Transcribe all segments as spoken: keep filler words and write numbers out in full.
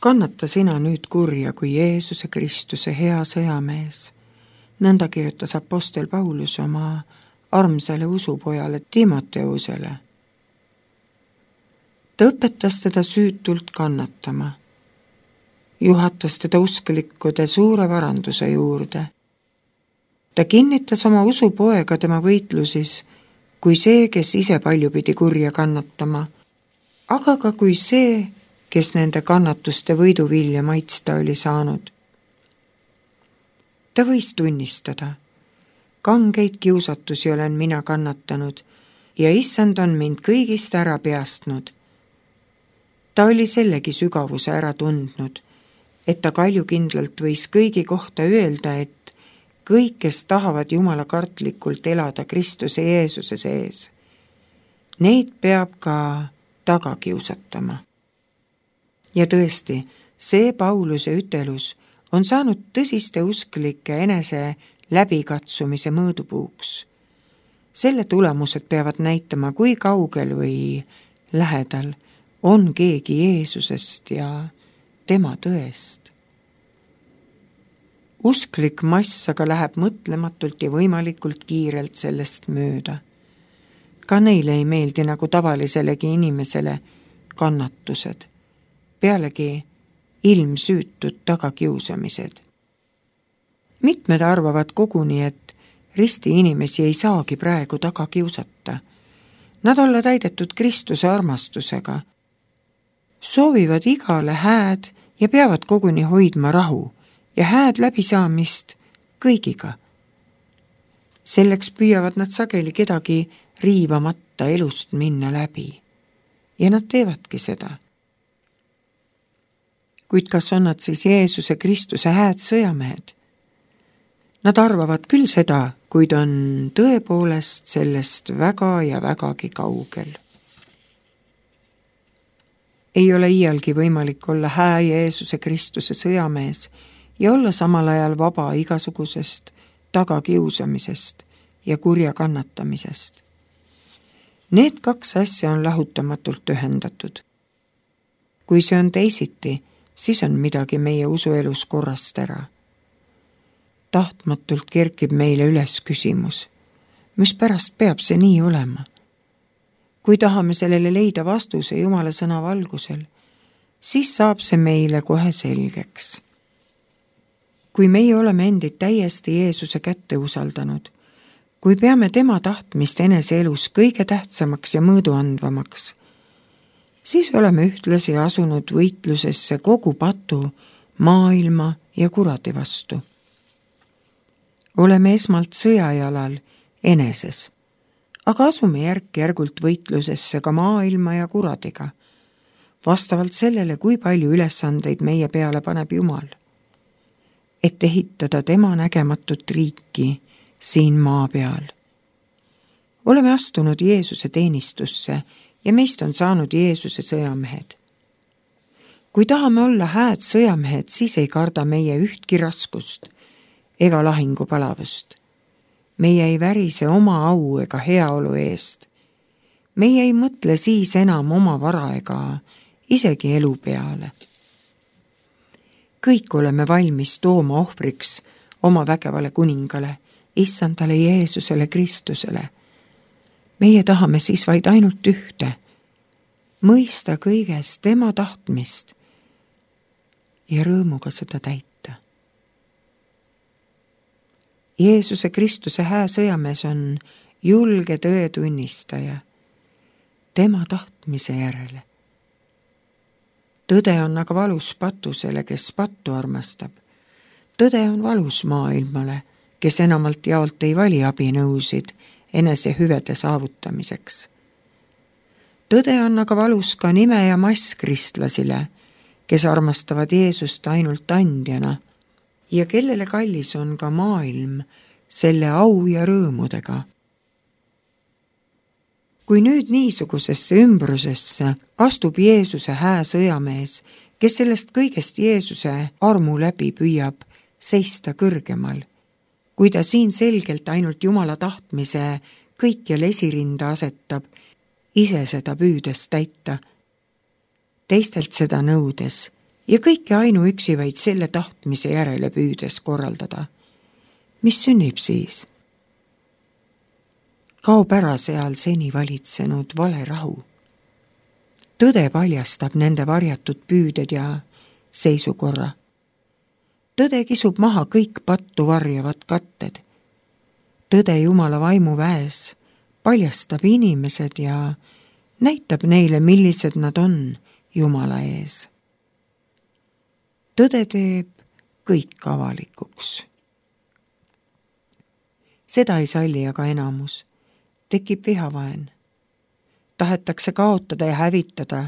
Kannata sina nüüd kurja kui Jeesuse Kristuse hea sõjamees. Nõnda kirjutas apostel Paulus oma armsale usupojale Timoteusele. Ta õpetas teda süütult kannatama. Juhatas teda usklikkude suure varanduse juurde. Ta kinnitas oma usupoega tema võitlusis kui see, kes ise palju pidi kurja kannatama, aga ka kui see, kes nende kannatuste võiduvilja maitsta oli saanud. Ta võis tunnistada, kangeid kiusatusi olen mina kannatanud ja issand on mind kõigist ära peastnud. Ta oli sellegi sügavuse ära tundnud, et ta kaljukindlalt võis kõigi kohta öelda, et kõik, kes tahavad Jumala kartlikult elada Kristuse Jeesuse sees, neid peab ka taga kiusatama. Ja tõesti, see Pauluse ütelus on saanud tõsiste usklike enese läbikatsumise mõõdupuuks. Selle tulemused peavad näitama, kui kaugel või lähedal on keegi Jeesusest ja tema tõest. Usklik mass aga läheb mõtlematult ja võimalikult kiirelt sellest mööda. Ka neile ei meeldi nagu tavaliselegi inimesele kannatused. Pealegi ilmsüütud tagakiusamised. Mitmed arvavad koguni, et risti inimesi ei saagi praegu taga kiusata. Nad olla täidetud Kristuse armastusega. Soovivad igale hääd ja peavad koguni hoidma rahu ja hääd läbisaamist kõigiga. Selleks püüavad nad sageli kedagi riivamata elust minna läbi. Ja nad teevadki seda. Kuid kas on nad siis Jeesuse Kristuse hääd sõjamehed? Nad arvavad küll seda, kuid on tõepoolest sellest väga ja vägagi kaugel. Ei ole iialgi võimalik olla hää Jeesuse Kristuse sõjamees ja olla samal ajal vaba igasugusest tagakiusamisest ja kurja kannatamisest. Need kaks asja on lahutamatult ühendatud. Kui see on teisiti, siis on midagi meie usuelus korrast ära. Tahtmatult kerkib meile üles küsimus, mis pärast peab see nii olema. Kui tahame sellele leida vastuse Jumala sõna valgusel, siis saab see meile kohe selgeks. Kui meie oleme endid täiesti Jeesuse kätte usaldanud, kui peame tema tahtmist enese elus kõige tähtsamaks ja mõõduandvamaks, siis oleme ühtlasi asunud võitlusesse kogu patu, maailma ja kuradi vastu. Oleme esmalt sõjajalal eneses, aga asume järk-järgult võitlusesse ka maailma ja kuradiga, vastavalt sellele, kui palju ülesandeid meie peale paneb Jumal, et ehitada tema nägematut riiki siin maa peal. Oleme astunud Jeesuse teenistusse ja meist on saanud Jeesuse sõjamehed. Kui tahame olla hääd sõjamehed, siis ei karda meie ühtki raskust ega lahingupalavust. Meie ei värise oma au ega heaolu eest. Meie ei mõtle siis enam oma vara ega isegi elu peale. Kõik oleme valmis tooma ohvriks oma vägevale kuningale, issandale Jeesusele Kristusele. Meie tahame siis vaid ainult ühte, mõista kõiges tema tahtmist ja rõõmuga seda täita. Jeesuse Kristuse hää sõjamees on julge tõe tunnistaja tema tahtmise järele. Tõde on aga valus patusele, kes pattu armastab. Tõde on valus maailmale, kes enamalt jaolt ei vali abinõusid enese hüvede saavutamiseks. Tõde on aga valus ka nime ja mass kristlasile, kes armastavad Jeesust ainult andjana ja kellele kallis on ka maailm selle au ja rõõmudega. Kui nüüd niisugusesse ümbrusesse astub Jeesuse hää sõjamees, kes sellest kõigest Jeesuse armu läbi püüab seista kõrgemal, kui ta siin selgelt ainult Jumala tahtmise kõikjal esirinda asetab, ise seda püüdes täita, teistelt seda nõudes ja kõike ainuüksi vaid selle tahtmise järele püüdes korraldada. Mis sünnib siis? Kaob ära seal seni valitsenud vale rahu. Tõde paljastab nende varjatud püüded ja seisukorra. Tõde kisub maha kõik pattu varjavad katted. Tõde Jumala vaimu väes paljastab inimesed ja näitab neile, millised nad on Jumala ees. Tõde teeb kõik avalikuks. Seda ei salli aga enamus. Tekib vihavaen. Tahetakse kaotada ja hävitada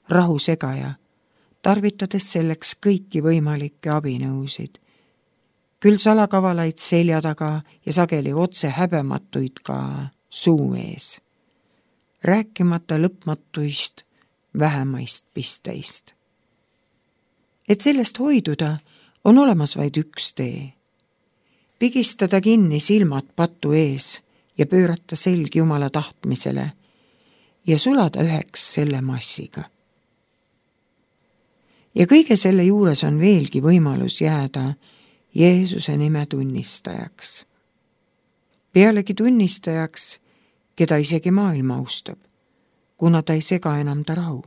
rahu segaja, tarvitades selleks kõiki võimalikke abinõusid. Küll salakavalaid selja taga ja sageli otse häbematuid ka suu ees. Rääkimata lõpmatuist vähemaist pisteist. Et sellest hoiduda on olemas vaid üks tee. Pigistada kinni silmad patu ees ja pöörata selg Jumala tahtmisele ja sulada üheks selle massiga. Ja kõige selle juures on veelgi võimalus jääda Jeesuse nime tunnistajaks. Pealegi tunnistajaks, keda isegi maailm austab, kuna ta ei sega enam ta rahu.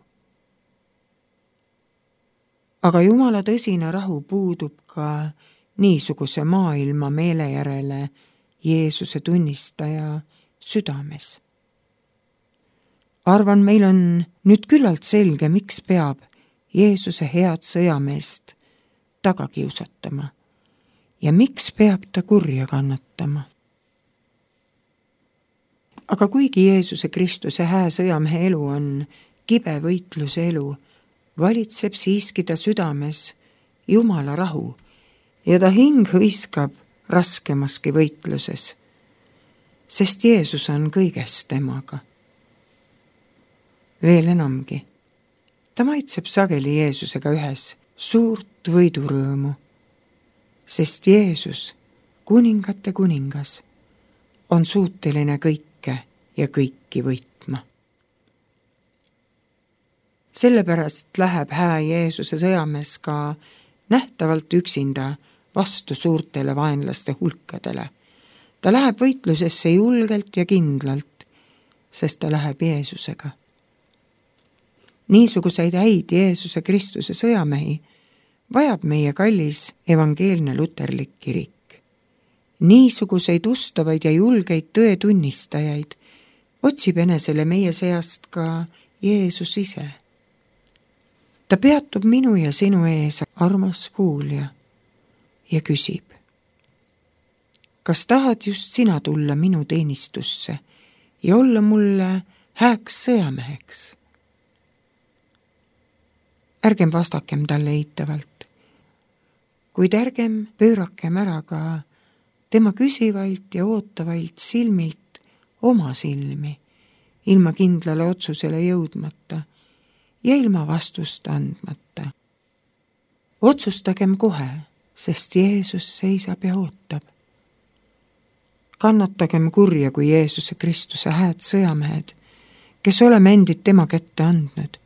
Aga Jumala tõsine rahu puudub ka niisuguse maailma meele järele Jeesuse tunnistaja südames. Arvan, meil on nüüd küllalt selge, miks peab Jeesuse head sõjameest taga kiusatama ja miks peab ta kurja kannatama. Aga kuigi Jeesuse Kristuse hää sõjamehe elu on kibe võitluse elu, valitseb siiski ta südames Jumala rahu ja ta hing hõiskab raskemaski võitluses, sest Jeesus on kõiges temaga. Veel enamgi, ta maitseb sageli Jeesusega ühes suurt võidurõõmu, sest Jeesus, kuningate kuningas, on suuteline kõike ja kõiki võitma. Sellepärast läheb hää Jeesuse sõjamees ka nähtavalt üksinda vastu suurtele vaenlaste hulkadele. Ta läheb võitlusesse julgelt ja kindlalt, sest ta läheb Jeesusega. Niisuguseid häid Jeesuse Kristuse sõjamehi vajab meie kallis evangeelne luterlik kirik. Niisuguseid ustavaid ja julgeid tõetunnistajaid otsib enesele meie seast ka Jeesus ise. Ta peatub minu ja sinu ees, armas kuulja, ja küsib, kas tahad just sina tulla minu teenistusse ja olla mulle hääks sõjameheks? Ärgem vastakem talle eitavalt, kuid ärgem pöörakem ära ka tema küsivailt ja ootavailt silmilt oma silmi, ilma kindlale otsusele jõudmata ja ilma vastust andmata. Otsustagem kohe, sest Jeesus seisab ja ootab. Kannatagem kurja kui Jeesuse Kristuse hääd sõjamehed, kes oleme endid tema kätte andnud.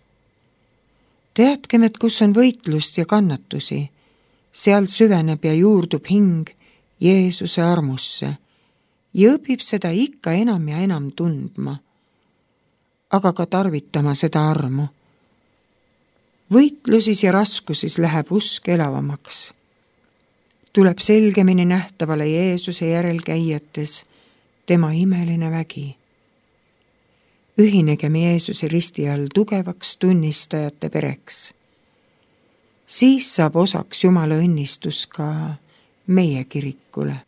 Teadkem, et kus on võitlust ja kannatusi, seal süveneb ja juurdub hing Jeesuse armusse ja õpib seda ikka enam ja enam tundma, aga ka tarvitama seda armu. Võitlusis ja raskusis läheb usk elavamaks. Tuleb selgemini nähtavale Jeesuse järel käijates tema imeline vägi. Ühinegem Jeesuse risti all tugevaks tunnistajate pereks. Siis saab osaks Jumala õnnistus ka meie kirikule.